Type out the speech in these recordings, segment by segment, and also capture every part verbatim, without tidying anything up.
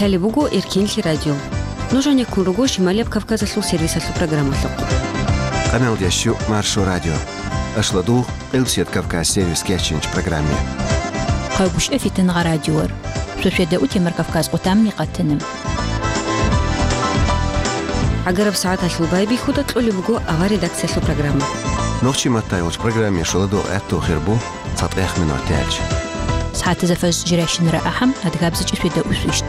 Лъалеб буго Эркенлъи радио. Нуж гьанеккун руго Шималияб Кавказалъул сервисалъул программалъухъ. Къамел ящу Маршо радио. Ашладугъ, Къилбсият Кавказ сервис кечинч программе. Хъайгъушъа фитангъа радиор. Шошеда утемар Кавказ къутамни къатанам. Агараб сагӀаталъул байбихьуда кьолеб буго авар редакциялъул программа. Нохчи маттай вач программе шоладо гӀатту хирбу. ЦатӀех минут тӀаялъ. СагӀатазда фажр жирайщинара ахӀам, адгабзичӀеб шведа усвищ.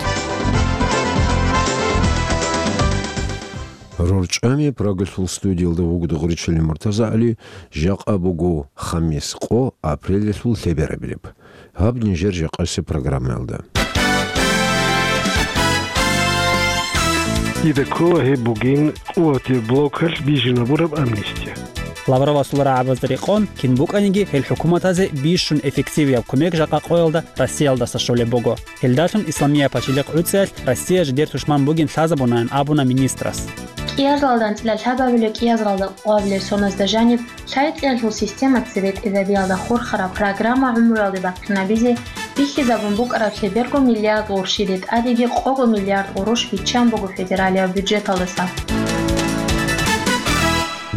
РорчӀами Прагалъул студиялда вугода гъуриччали МуртазагӀали, жакъа буго хамис къо, апрелалъул лъеберабилеб. Гьаб нижер жакъасеб программаялда. Дида ккола гьеб бугин къуватаб блокалъ бижинабураб амнистия. Лавровасул рагӀабазда рекъон, кин букӀаниги гьел хӀукуматазе бищун эффективияб кумек жакъа къоялда Россиялдаса щолеб буго. Гьелдалъун Исламияб пачалихъ гӀуцӀиялъ Россия жидер тушман бугин лъазабунаян абуна министрас. КӀиазалда анцӀила лъабабилеб, кӀиазалда къоабилеб соназда жаниб лъай-кьиялъул система цебетӀезабиялда хурхараб программа гӀумруялде бахъинабизе бихьизабун букӀараб лъеберго миллиард гъурущиде тӀадеги къого миллиард гъурущ биччан буго федералияб бюджеталдаса.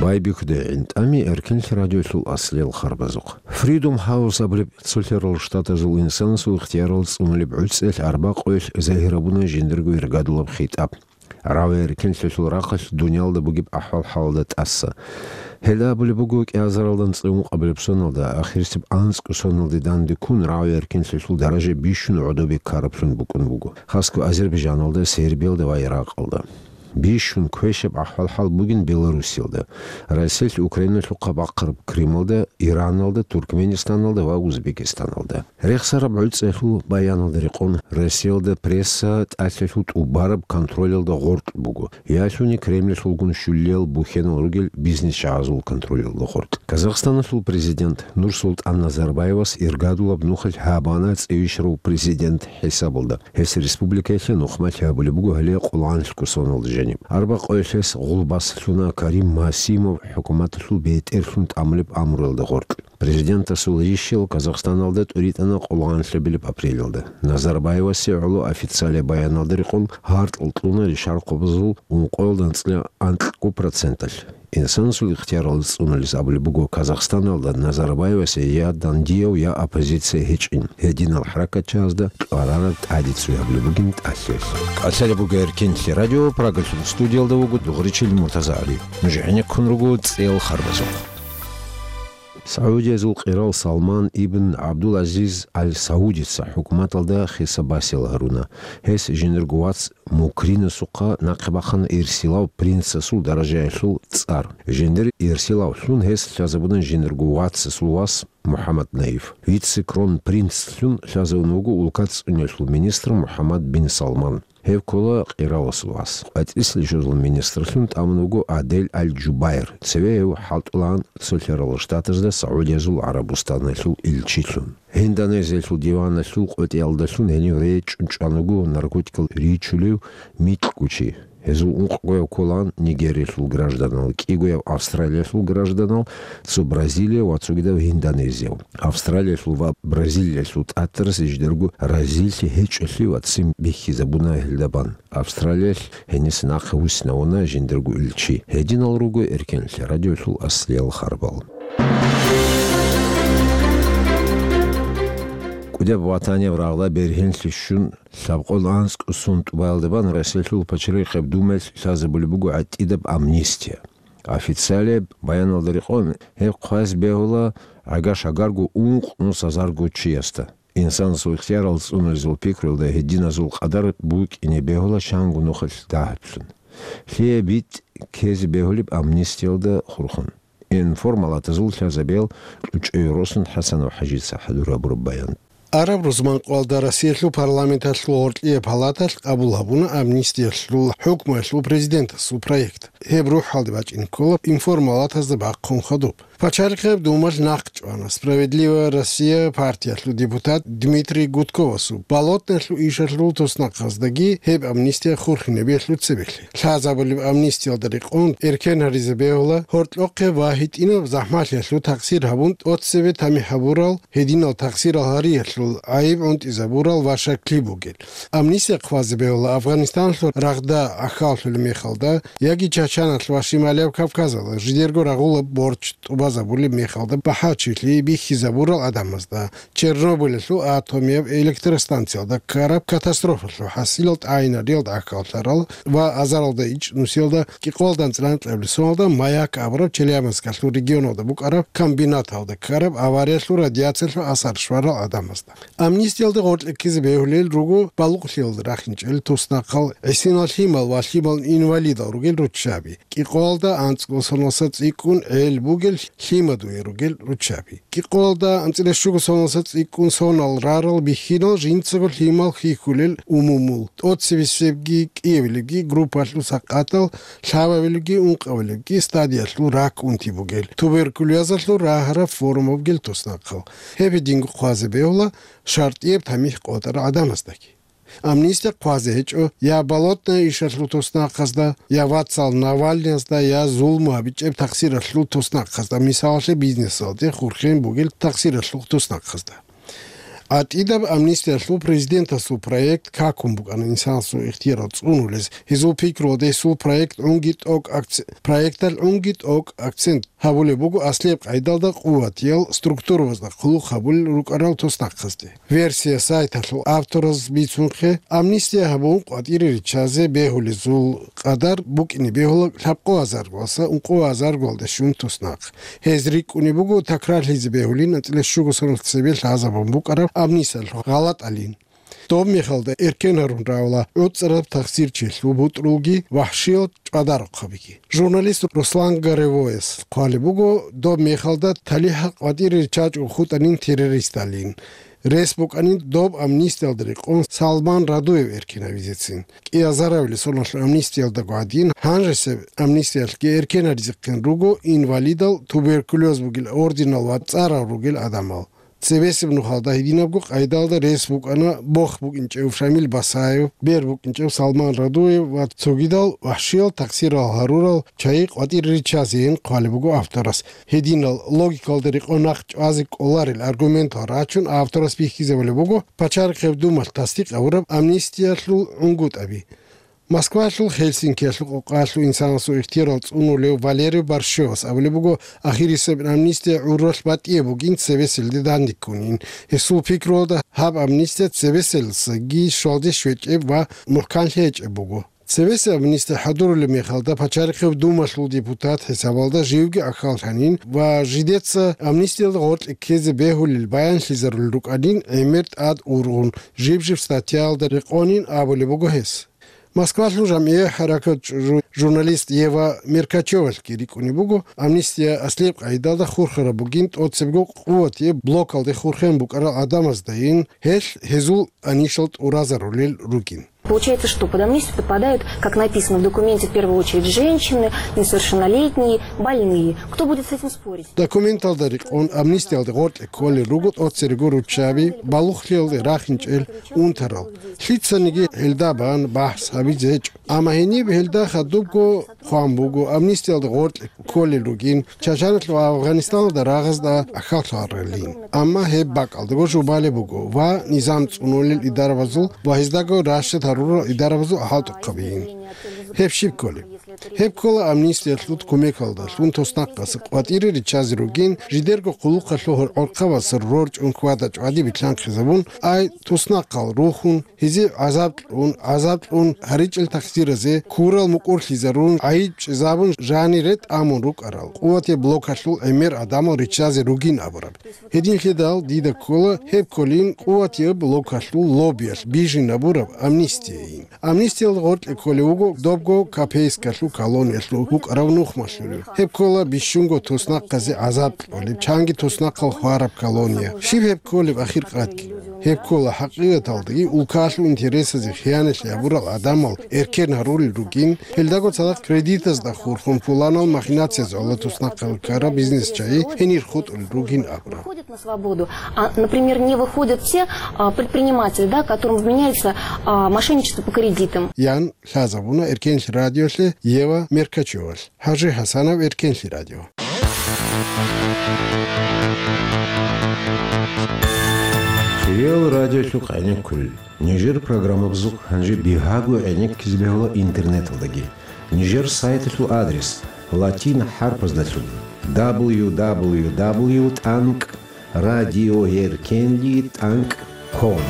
Байбихьуда гӀинтӀами Эркенлъи радиолъул аслиял харбазухъ. Freedom House абулеб цолъарал штатазул инсанасул ихтиярал цӀунулеб гӀуцӀиялъ арбакъоялъ загьир гьабуна жиндирго иргадулаб хитӀаб. Рагъи-эркенлъиялъул рахъалъ дуниялда бугеб ахӀвал-хӀалалда тӀаса. Гьелда абулеб буго, кӀиазаралда анцӀила ункъабилеб соналда, ахирисеб анцӀго соналде данде ккун, рагъи-эркенлъиялъул даража бищун гӀодобе ккараблъун букӀун буго, хасго Азербайджаналда, Сербиялда ва Иракъалда. Бищун квешаб ахӀвал-хӀал бугин Белоруссиялда, Россиялъ Украиналъухъа бахъараб Крымалда, Ираналда, Туркменистаналда ва Узбекистаналда. Рехсараб гӀуцӀиялъул баяналда рекъон, Россиялда пресса тӀалъалъул тӀубараб контролялда гъоркь буго, ялъуни Кремльалъулгун щулиял бухьенал ругел бизнесчагӀазул контролялда гъоркь. Казахстаналъул президент Нурсултан Назарбаевас иргадулаб нухалъ гьабана цӀивищарав президент хӀисабалда. Гьес республикаялъе нухмалъи гьабулеб буго гьале къулгӀанлъго соналда жаниб. Арбакъоялъ гьес гъулбас лъуна Карим Масимов хӀукуматалъул бетӀерлъун тӀамулеб амруялда гъоркь. Президентасул ришиял Казахстаналда тӀуритӀана къулгӀанлъабилеб апрелалда. Назарбаевасе гӀоло официалияб баяналда рекъон гьартӀал кьуна ришархъубазул ункъоялда анцӀила анкьго проценталъ. Инсанасул ихтияралда цӀунулес абулеб буго Казахстаналда Назарбаевасе я дандияв, я оппозиция гьечӀин, гьединал хӀаракатчагӀазда кьварараб тӀаде цоябулеб бугин тӀалъиялъ. КӀалъалеб буго Эркенлъи радио, Прагалъул студиялда вуго Дугъричил МуртазагӀали. Нуж гӀенеккун руго цӀел харбазухъ. Саудиязул къирал Салман ибн ГӀабдул-ГӀазиз Ал-Саудица хӀукуматалда хисаб-басил гьаруна. Гьес жиндирго вац Мукринасухъа нахъе бахъана ирсилав принцасул даражаялъул цӀар. Жиндир ирсилавлъун гьес лъазабуна жиндирго вацасул вас МухӀаммад Наиф. Вице-кронпринцлъун лъазавун вуго улкат цӀунелъул министр МухӀаммад бин Салман. Гьев ккола къираласул вас. КъватӀислъи щвезул министрлъун тӀамун вуго Адель Аль-Джубайр. Цеве гьев хӀалтӀулаан Цолъарал Штатазда Саудиязул ГӀарабустаналъул илчилъун. Гьиндонезиялъул диваналъул къотӀиялдалъун гьенив речӀчӀун чӀван вуго наркотикал ричулев микьго чи. Гьезул ункъгояв кколаан Нигериялъул гражданал, кӀигояв Австралиялъул гражданал, цо Бразилияв ва цогидав Гьиндонезияв. Австралиялъул ва Бразилиялъул тӀатарас жидерго разилъи гьечӀолъи ва ццин бихьизабуна гьелда бан. Австралиялъ гьениса нахъе вуссинавуна жиндирго илчи. Гьединал руго Эркенлъи радиолъул аслиял харбал. КӀудияб ватанияб рагъда бергьенлъи щун, лъабкъоялда анцӀго сон тӀубаялда бан Россиялъул пачалихъеб думаялъ лъазабулеб буго гӀатӀидаб амнистия. Официалияб баяналда рекъон, гьеб хъвазе бегьула гӀага-шагарго ункънус азарго чиясда. Инсанасул ихтиярал цӀунулезул пикруялда гьединазул къадар букӀине бегьула чанго нухалъ дагьаблъун. Лъие битӀ ккезе бегьулеб амнистиялда хурхун? Информалатазул лъазабиял кьучӀеве росун ХӀасанов ХӀажица хӀадур гьабураб баян. Араб рузманкъоялда Россиялъул парламенталъул гъоркьияб палаталъ къабул гьабуна амнистиялъул хӀукмуялъул президентасул проект. Гьеб рухӀалде бачӀине ккола информалатазда бахъун хадуб. Пачалихъаб думалъ нахъ чӀвана «Справедливая Россия» партиялъул депутат Дмитрий Гудковасул, Болотнаялъул ишалъул туснахъаздаги гьеб амнистия хурхинабиялъул цебехъе. Лъазабулеб амнистиялда рекъон эркен гьаризе бегьула гьоркьохъеб ва гьитӀинаб захӀмалъиялъул такъсир гьабун, тӀоцебе тамихӀ гьабурал гьединал такъсирал гьариялъул гӀайиб гӀунтӀизабурал ва шакли бугел. Амнистия хъвазе бегьула Афганистаналъул рагъда гӀахьаллъулеб мехалда яги Чачаналъ ва Шималияб Кавказалда жидерго рагъулаб борч тӀубазабулеб мехалда бахӀарчилъи бихьизабурал гӀадамазда, Чернобыльалъул атомияб электростанциялда ккараб катастрофалъул хӀасилал тӀагӀинариялда гӀахьаллъарал ва азаралда ичӀнусиялда кӀикъоялда анцӀила анкьабилеб соналда «Маяк» абураб Челябинскалъул регионалда букӀараб комбинаталда ккараб авариялъул радиациялъул асар щварал гӀадамазда. Амнистиялда гъоркье ккезе бегьулел руго балугълъиялда рахинчӀел туснахъал, гӀисинал лъимал ва лъимал инвалидал ругел руччаби, кӀикъоялда анцӀго соналъ цӀикӀкӀун гӀел бугел лъимадуе ругел руччаби, кӀикъоялда анцӀила щуго соналъ цӀикӀкӀун сонал рарал бихьинал жинцаго лъимал хьихьулел умумул, тӀоцебесебги кӀиабилебги группалъул сакъатал, лъабабилебги ункъабилебги стадиялъул рак унти бугел, туберкулезалъул рагьараб форма бугел туснахъал. Гьеб гьединго хъвазе бегьула шартӀияб тамихӀ къотӀарал гӀадамаздаги. Амнистия хъвазе гьечӀо я Болотная ишалъул туснахъазда, я вацал Навальныязда, я зулму гьабичӀеб такъсиралъул туснахъазда, мисалалъе, бизнесалде хурхен бугел такъсиралъул туснахъазда. ГӀатӀидаб амнистиялъул президентасул проект какун букӀана инсанасул ихтиярал цӀунулез, гьезул пикруялда гьесул проект гӀунги тӀокӀ акц-, проекталъ гӀунги тӀокӀ акцент гьабулеб буго аслияб къайдалда къуватиял структурабазда хъулухъ гьабулел рукӀарал туснахъазде. Версия сайталъул автораз бицунхъе, амнистия гьабун къватӀире риччазе бегьулезул къадар букӀине бегьула лъабкъо азаргоялдаса ункъо азаргоялде щун туснахъ. Гьез рикӀкӀунеб буго такрарлъизе бегьулин анцӀила щуго соналъ цебе лъазабун букӀараб амнистиялъул гъалатӀалин. Доб мехалда эркен гьарун равала гӀуцӀараб такъсирчилъул бутӀрулги вахӀшиял чӀвадарухъабиги. Журналист Руслан Горевояс хъвалеб буго, доб мехалда талихӀ къватӀире риччачӀого хутӀанин террористалин. Рес букӀанин доб амнистиялда рекъон Салман Радуев эркенавизецин. КӀиазарабили соналъул амнистиялдаго гӀадин, гьанжесеб амнистиялъги эркенаризехъин руго инвалидал, туберкулез бугел, орденал ва цӀарал ругел гӀадамал. Цебесеб нухалда гьединабго къайдалда рес букӀана бох букӀинчӀев Шамил Басаев, бер букӀинчӀев Салман Радуев ва цогидал вахӀшиял такъсирал гьарурал чагӀи къватӀире риччазейин хъвалеб буго авторас. Гьединал логикалда рекъон нахъ чӀвазе кӀоларел аргументал рачун авторас бихьизабулеб буго Пачалихъеб думалъ тасдикъ гьабураб амнистиялъул гӀунгутӀаби. Москвалъул Хельсинкиялъул къокъалъув инсанасул ихтиярал цӀунулев Валерий Борщевас абулеб буго, ахирисеб амнистия гӀурралъ батӀияб бугин, цебеселде дандеккунин. Гьесул пикруялда гьаб амнистия цебеселдасаги щвалде щвечӀеб ва мухӀканлъи гьечӀеб буго. Цебесеб амнистия хӀадурулеб мехалда Пачалихъеб думалъул депутат хӀисабалда живги ахьаллъанин ва жидеца амнистиялда гъоркье ккезе бегьулел баянлъизарулел рукӀанин гӀемер тӀад ургъун, жиб-жиб статьяялда рекъонин абулеб буго гьес. Москвалъул жамгӀия хӀаракат жу-, журналист Ева Меркачевалъги рикӀкӀунеб буго, амнистия аслияб къайдалда хурхараб бугин, тӀоцебго къуватияб блокалде хурхен букӀарал гӀадамаздайин, гьелъ гьезул анищал тӀуразарулел ругин. Получается, что под амнистию подпадают, как написано в документе, в первую очередь женщины, несовершеннолетние, больные. Кто будет с этим спорить? Документалда рекъон амнистиялде гъоркье кколел руго тӀоцерего руччаби, балугълъиялде рахинчӀел унтарал. Лъицаниги гьелда бан бахӀс гьабизе гьечӀо. Амма гьениб гьелда хадубго хъван буго, амнистиялда гъоркье кколел ругин, Чачаналъ ва Афганистаналда рагъазда ахьаллъаралин. Амма гьеб бакӀалдаго жубалеб буго ва низам цӀунулел идарабазул ва гьездаго рашад гьарурал идарабазул хӀалтӀухъабиин. Гьеб щиб кколеб? Гьеб ккола амнистиялъул кумекалдалъун туснахъасе къватӀире риччазе ругин, жидерго хъулухъалъул гӀорхъабаз рорчӀун хьвада-чӀвади билълъанхъизабун, ай туснахъал рухун, гьезие гӀазаб кьун, гӀазаб кьун гьаричӀел такъсиразе ккурал мукӀурлъизарун, гӀайиб чӀезабун, жанире тӀамун рукӀарал къуватияб блокалъул гӀемер гӀадамал риччазе ругин абураб. Гьединлъидал дида ккола гьеб кколин къуватияб блокалъул лоббиялъ бижинабураб амнистияйин. Амнистиялда гъоркье кколев вуго добго Копейскалъул колониялъул вукӀарав нухмалъулев. Гьеб ккола бищунго туснахъазе гӀазаб кьолеб, чанги туснахъал хвараб колония. Щиб гьеб кколеб ахир къатги? Гьеб ккола хӀакъикъаталдаги улкалъул интересазе хияналъи гьабурал гӀадамал эркен гьарулел ругин, гьелдаго цадахъ кредитазда хурхун пуланал махинацияз гӀоло туснахъал ккарал бизнесчагӀи гьенир хутӀулел ругин абуна. Выходят на свободу, а, например, не выходят те, а, предприниматели, да, которым вменяется, а, мошенничество по кредитам. Ян лъазабуна Эркенлъи радиолъе Ева Меркачевалъ. ХӀажи ХӀасанов, Эркенлъи радио. Цоял радиолъухъ гӀенеккулел. Нижер программабазухъ гьанже бигьаго гӀенеккизе бегьула интернеталдаги. Нижер сайталъул адрес латин хӀарпаздалъун: дабл ю дабл ю дабл ю тӀанкӀ радиоеркенли тӀанкӀ ком.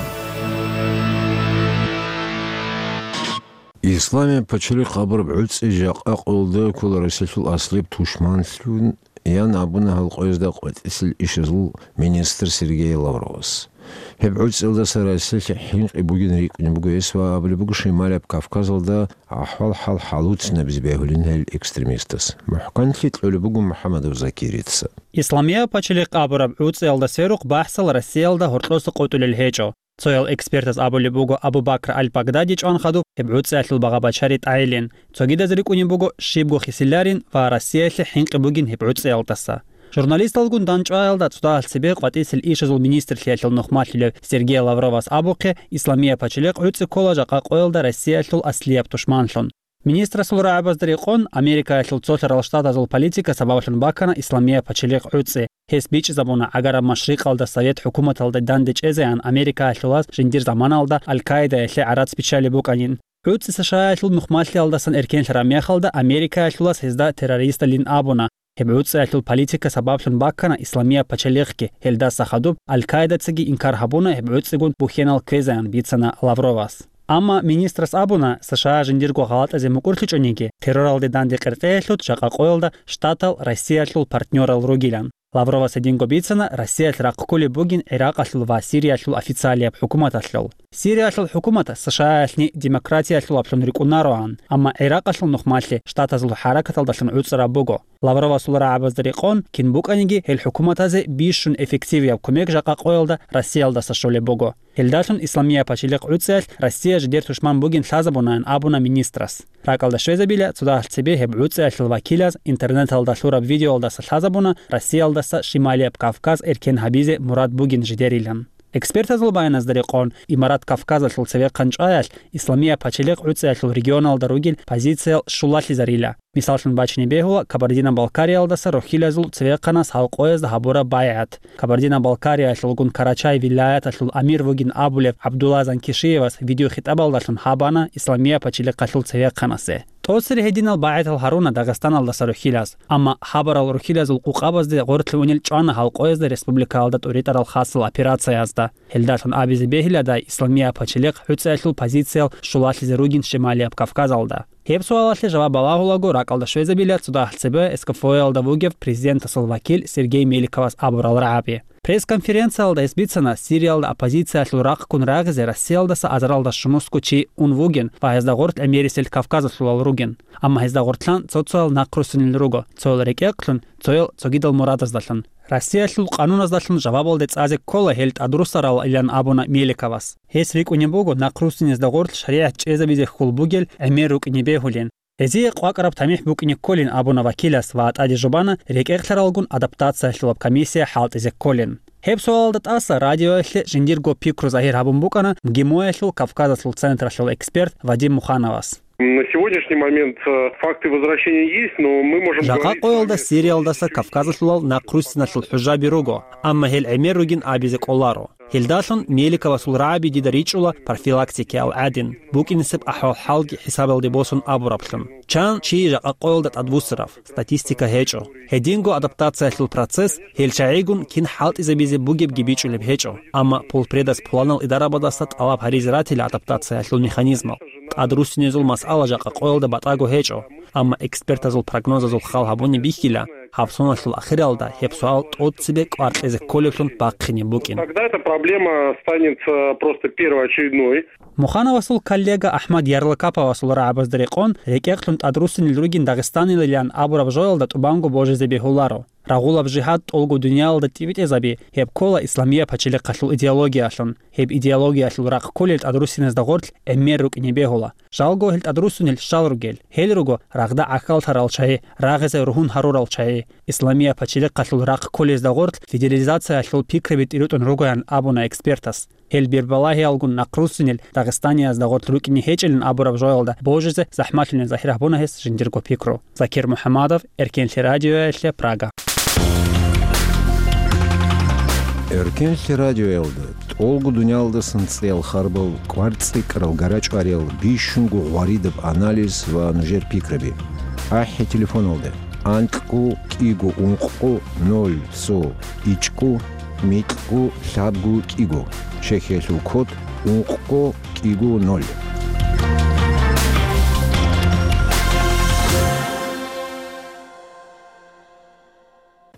Исламияб пачалихъ абураб гӀуцӀи жакъа къоялда ккола Россиялъул аслияб тушманлъун, ян абуна гьал къоязда къватӀисел ишазул министр Сергей Лавровас. Гьеб гӀуцӀиялдаса Россиялъе хӀинкъи бугин рикӀкӀунеб буго гьес ва абулеб буго Шималияб Кавказалда ахӀвал-хӀал хӀалуцинабизе бегьулин гьел экстремистас. МухӀканлъи кьолеб буго МухӀаммадов Закирица. Исламияб пачалихъ абураб гӀуцӀиялда сверухъ бахӀсал Россиялда гьоркьоса къотӀулел гьечӀо. Цоял экспертаз абулеб буго Абу-Бакр аль-Багдади чӀван хадуб гьеб гӀуцӀиялъул багъа-бачари тӀайилин. Цогидаз рикӀкӀунеб буго щибго хисиларин ва Россиялъе хӀинкъи бугин гьеб гӀуцӀиялдаса. Журналисталгун дандчӀваялда цодагьал цебе къватӀисел ишазул министрлъиялъул нухмалъулев Сергей Лавровас абухъе, Исламияб пачалихъ гӀуцӀи ккола жакъа къоялда Россиялъул аслияб тушманлъун. Министрасул рагӀабазда рекъон, Америкаялъул цолъарал штатазул политика сабаблъун бакана Исламияб пачалихъ гӀуцӀи. Гьес бичӀчӀизабуна гӀагараб машрикъалда совет хӀукуматалда данде чӀезегӀан Америкаялъулаз жиндир заманалда Аль-Каидаялъе гӀарац биччалеб букӀанин. ГӀуцӀи США-ялъул нухмалъиялдасан эркенлъараб мехалда Америкаялъулаз гьезда террористалин абуна. Гьеб гӀуцӀиялъул политика сабаблъун баккана Исламияб пачалихъги, гьелдаса хадуб Аль-Каидацаги инкар гьабуна гьеб гӀуцӀигун бухьенал кквезеян бицана Лавровас. Амма министрас абуна, США жиндирго гъалатӀазе мукӀурлъичӀониги, терроралде данде къеркьеялъул жакъа къоялда штатал Россиялъул партнёрал ругилан. Лавровас гьединго бицана Россиялъ рахъ кколеб бугин ГӀиракъалъул ва Сириялъул официалияб хӀукуматалъул. Сириялъул хӀукумат США-ялъни демократиялъулаблъун рикӀкӀунароан, амма ГӀиракъалъул нухмалъи штатазул хӀаракаталдалъун гӀуцӀараб буго. Лавровасул рагӀабазда рекъон, кин букӀаниги, гьел хӀукуматазе бищун эффективияб кумек жакъа къоялда Россиялдаса щолеб буго. Гьелдалъун Исламияб пачалихъ гӀуцӀиялъ Россия жидер тушман бугин лъазабунаян абуна министрас. РакӀалда щвезабила, цодагьал цебе гьеб гӀуцӀиялъул вакилаз интернеталда лъураб видеоялдаса лъазабуна Россиялдаса Шималияб Кавказ эркен гьабизе мурад бугин жидерилан. Экспертазул баяназда рекъон, Имарат Кавказалъул цевехъан чӀваялъ Исламияб пачалихъ гӀуцӀиялъул регионалда ругел позициял щулалъизарила. Мисаллъун бачине бегьула Кабардино-Балкариялдаса рухьилазул цевехъанас гьал къоязда гьабураб байгӀат. Кабардино-Балкариялъулгун Карачай вилаяталъул амир вугин абулеб ГӀабдулла Занкишиевас видеохитӀабалдалъун гьабана Исламияб пачалихъалъул цевехъанасе. ТӀоцере гьединал багӀетал гьаруна Дагъистаналдаса рухьилаз, амма гьабарал рухьилазул къукъабазде гъорлъе унел чӀвана гьал къоязда республикаялда тӀуритӀарал хасал операциязда. Гьелдалъун абизе бегьиладай Исламияб пачалихъ гӀуцӀиялъул позициял щулалъизе ругин Шималияб Кавказалда. Гьеб суалалъе жаваб балагьулаго ракӀалда щвезабила цодагьал цебе СКФО-ялда вугев президентасул вакил Сергей Меликовас абурал рагӀаби. Пресс-конференциялда гьес бицана Сириялда оппозициялъул рахъгун рагъизе Россиялдаса азаралда щунусго чи ун вугин ва гьезда гъорлъ гӀемерисел кавказалъулал ругин. Амма гьезда гъорлъан цо-цоял нахъруссунел руго, цоял рекӀекълъун, цоял цогидал мурадаздалъун. Россиялъул къануназдалъун жавабалде цӀазе ккола гьел тӀадруссаралилан абуна Меликовас. Гьес рикӀкӀунеб буго нахъруссинезда гъорлъ шаригӀат чӀезабизе хьул бугел гӀемер рукӀине бегьулин. Гьезие къвакӀараб тамихӀ букӀине кколин абуна вакилас ва тӀаде жубана рекӀекълъаралгун адаптациялъулаб комиссия хӀалтӀизе кколин. Гьеб суалалда тӀаса радиоялъе жиндирго пикру загьир гьабун букӀана МГИМО-ялъул Кавказалъул централъул эксперт Вадим Мухановас. На сегодняшний момент, э, факты возвращения есть, но мы можем Жакъа говорить с къоялда вами Сириялдаса Кавказалъулал нахъруссиналъул хӀужаби руго, амма гьел гӀемер ругин абизе кӀоларо. Гьелдалъун Меликовасул рагӀаби дида ричӀула профилактикиял гӀадин, букӀинесеб ахӀвал-хӀалги хӀисабалде босун абураблъун. Чан чи жакъа къоялда тӀадвуссарав, статистика гьечӀо. Гьединго адаптациялъул процесс гьел чагӀигун кин хӀалтӀизабизе бугебги бичӀчӀулеб гьечӀо, амма пулпредас пуланал идарабаздаса тӀалаб гьаризе ратила адаптациялъул механизмал. ТӀадруссинезул масъала жакъа къоялда батӀаго гьечӀо, амма экспертазул прогнозазул хал гьабуни бихьила, гьаб соналъул ахиралда гьеб суал тӀоцебе кӀвар кьезе кколеблъун бахъине букӀин. Тогда эта проблема станет, э, просто первоочередной. Мухановасул коллега АхӀмад Ярлыкаповасул рагӀабазда рекъон, рекӀекълъун тӀадруссинел ругин дагъистанилилан абураб жоялда тӀубанго божизе бегьуларо. Рагъулаб жигьад тӀолго дуниялалда тӀибитӀизаби, гьеб ккола исламияб пачалихъалъул идеологиялъун. Гьеб идеологиялъул рахъ кколел тӀадруссиназда гъорлъ гӀемер рукӀине бегьула. Жалго гьел тӀадруссунел щал ругел? Гьел руго рагъда гӀахьаллъарал чагӀи, рагъизе ругьун гьарурал чагӀи. Исламияб пачалихъалъул рахъ кколезда гъорлъ федерализациялъул пикраби тӀиритӀун ругоян абуна экспертас. Гьел бербалагьиялгун нахъруссинел дагъистаниязда гъорлъ рукӀине гьечӀилан абураб жоялда божизе захӀмалъунел загьир гьабуна гьес жиндирго пикру. Закир МухӀаммадов, Эркенлъи радиоялъе, Прага. Эркенлъи радиоялда тӀолго дуниялдасан цӀиял харбал, кӀвар цӀикӀкӀарал, гарачӀвариял, бищунго гъваридаб анализ ва нужер пикраби. АхӀи телефоналда: анкьго кӀиго ункъго ноль цо ичӀго микьго лъабго кӀиго, чехьиялъул код ункъго кӀиго ноль.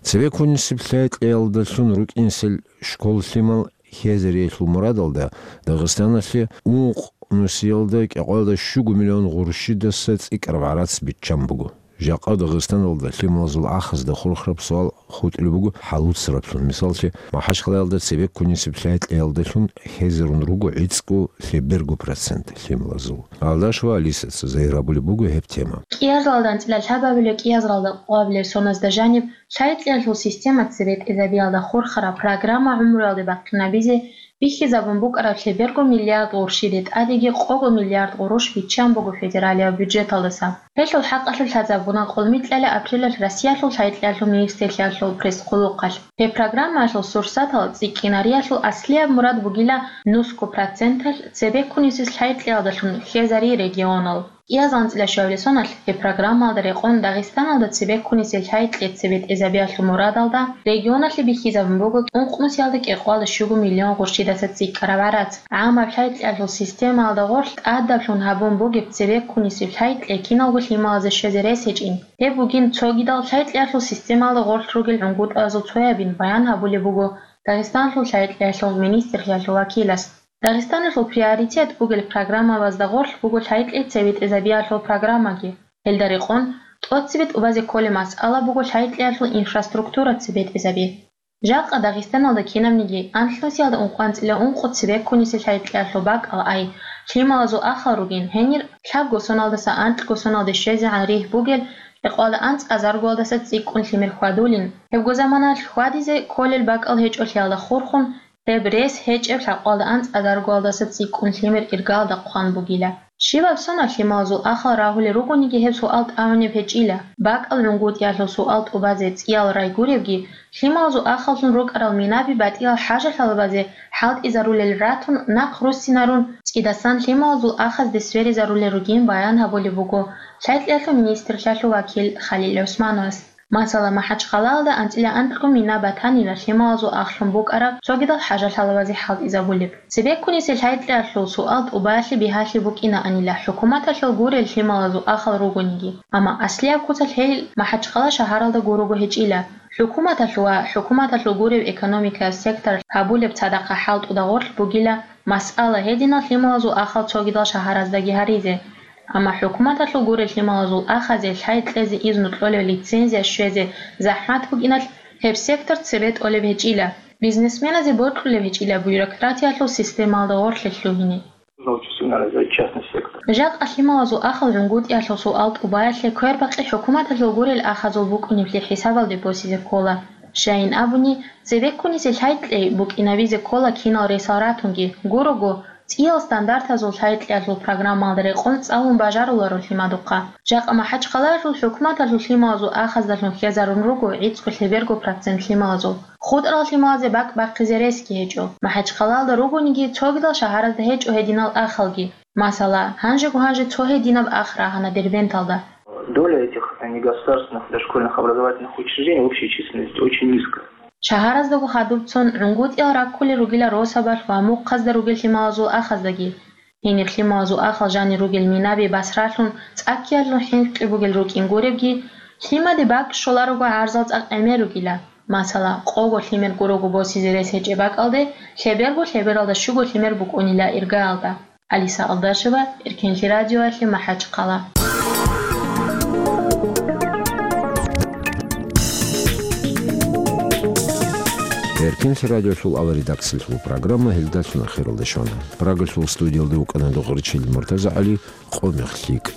Цебеккунисеб лъай-кьеялдалъун рукӀинсел школ-лъимал хӀезариялъул мурадалда Дагъистаналъе ункъ нусиялда кӀикъоялда щуго миллион гъурущидаса цӀикӀкӀараб гӀарац биччан буго. Жакъа Дагъистаналда лъималазул ахазда хурхараб суал хутӀулеб буго хӀалуцараблъун. Мисаллъи, МахӀачхъалаялда цебеккунисеб лъай-кьеялдалъун хӀезарун руго гӀицӀго лъеберго процент лъималазул. Алдашева Алисаца загьир гьабулеб буго гьеб тема. КӀиазаралда анцӀила лъабабилеб, кӀиазаралда къоабилеб соназда жаниб лъай-кьеялъул система цебетӀезабиялда хурхараб программа гӀумруялде бахъинабизе бихьизабун букӀараб лъеберго миллиард гъурущиде тӀадеги къого миллиард гъурущ биччан буго федералияб бюджеталдаса. Гьелъул хӀакъалъулъ лъазабуна къолмикьалъа апрелалъ Россиялъул лъай-кьеялъул министрлъиялъул пресс-хъулухъалъ. Гьеб программаялъул сурсатал цӀикӀкӀинаралъул аслияб мурад бугила нусго проценталъ цебеккунисез лъай-кьеялдалъун хӀезари регионал. КӀиазанцӀила щуабилеб соналъ гьеб программаялда рекъон Дагъистаналда цебеккунисел лъай-кье цебетӀезабиялъул мурадалда регионалъе бихьизабун буго ункънусиялда кӀикъоялда щуго миллион гъурщидаса цӀикӀкӀараб гӀарац. ГӀамаб лъай-кьеялъул системаялда гъорлъ тӀадаблъун гьабун бугеб цебеккунисеб лъай-кье киналго лъималазе щвезе рес гьечӀин. Гьеб бугин цогидал лъай-кьеялъул системаялда гъорлъ ругел гӀунгутӀазул цоябин баян гьабулеб буго Дагъистаналъул лъай-кьеялъул министрлъиялъул вакилас. Дагъистаналъул приоритет бугел программабазда гъорлъ буго лъай-кье цебетӀезабиялъул программаги. Гьелда рекъон тӀоцебе тӀубазе кколеб масъала буго лъай-кьеялъул инфраструктура цебетӀезаби. Жакъа Дагъистаналда кинабниги анлънусиялда ункъванцӀила ункъо цебеккунисел лъай-кьеялъул бакӀал ай лъималазул ахал ругин, гьенир лъабго соналдаса анкьго соналде щвезегӀан ригь бугел кӀикъоялда анцӀазаргоялдаса цӀикӀкӀун лъимер хьвадулин. Гьебго заманалъ хьвадизе кколел бакӀал гьечӀолъиялда хурхун, гьеб рес гьечӀеб лъабкъоялда анцӀазаргоялдаса цӀикӀкӀун лъимер иргаялда хъван бугила. Щибаб соналъ лъималазул ахал рагьулел ругониги гьеб суал тӀамунеб гьечӀила. БакӀал гӀунгутӀиялъул суал тӀубазе цӀиял рай гуребги, лъималазул ахаллъун рукӀарал минаби батӀиял хӀажалъалабазе хӀалтӀизарулел ратун, нахъ руссинарун, цӀидасан лъималазул ахазде сверизарулел ругин баян гьабулеб буго лъай-кьеялъул министрлъиялъул вакил Халил ГӀусмановас. Масала, МахӀачхъалаялда анцӀила анкьго мина батанила лъималазул ахлъун букӀараб цогидал хӀажалъалабазе хӀалтӀизабулеб. Цебеккунисел лъай-кьеялъул суал тӀубаялъе бигьалъи букӀинаанила хӀукуматалъул гурел лъималазул ахал ругониги, амма аслияб куцалъ гьел МахӀачхъала шагьаралда гурого гьечӀила. ХӀукуматалъул ва хӀукуматалъул гуреб экономикаялъ сектор гьабулеб цадахъа хӀалтӀуда гъорлъ бугила масъала гьединал лъималазул ахал цогидал шагьараздаги гьаризе. Амма хӀукуматалъул гурел лъималазул ахазе лъай кьезе изну кьолеб лицензия щвезе захӀмат букӀиналъ, гьеб сектор цебе тӀолеб гьечӀила, бизнесменазе бокьулеб гьечӀила бюрократиялъул системалда гъорлъе лъугьине. Нужно очень сильно развивать частный сектор. Жакъа лъималазул ахал гӀунгутӀиялъул суал тӀубаялъе квербакъи хӀукуматалъул гурел ахазул букӀунеблъи хӀисабалде босизе ккола. Щайин абуни, цебеккунисел лъай кьей букӀинабизе ккола кинал ресал ратунги, гурого, цӀиял стандартазул лъай кьеялъул программалда рекъон цӀалун бажаруларо лъимадухъа. Жакъа МахӀачхъалаялъул хӀукуматалъул лъималазул ахаздалъун хьезарун руго гӀицӀго лъеберго процент лъималазул. ХутӀарал лъималазе бакӀ бахъизе ресги гьечӀо. МахӀачхъалаялда ругониги цогидал шагьаразда гьечӀо гьединал ахалги. Масала, гьанжего гьанже цо гьединаб ах рагьана Дербенталда. Доля этих негосударственных дошкольных образовательных учреждений в общей численности очень низкая. Шагьараздаго хадубцун гӀунгутӀиял раккулел ругила росабалъ ва мухъазда ругел лъималазул ахаздаги. Гьениб лъималазул ахал жанир ругел минаби басралъун цӀаккиялъун хӀинкъи бугел рукӀин гуребги, лъимаде бакӀ щоларого гӀарзал цӀакъ гӀемер ругила. Масала, къого лъимер гурого босизе рес гьечӀеб бакӀалде, лъеберго лъебералда щуго лъимер букӀунила иргаялда. Алиса Алдашева, Эркенлъи радиоялъе, МахӀачхъала. Гьеркинлъи радиолъул аваридаксилъул программа гьелдалъун ахиралде щвана. Прагалъул студиялде вукӀана Дугъричил МуртазагӀали, къо-мех лъикӀ.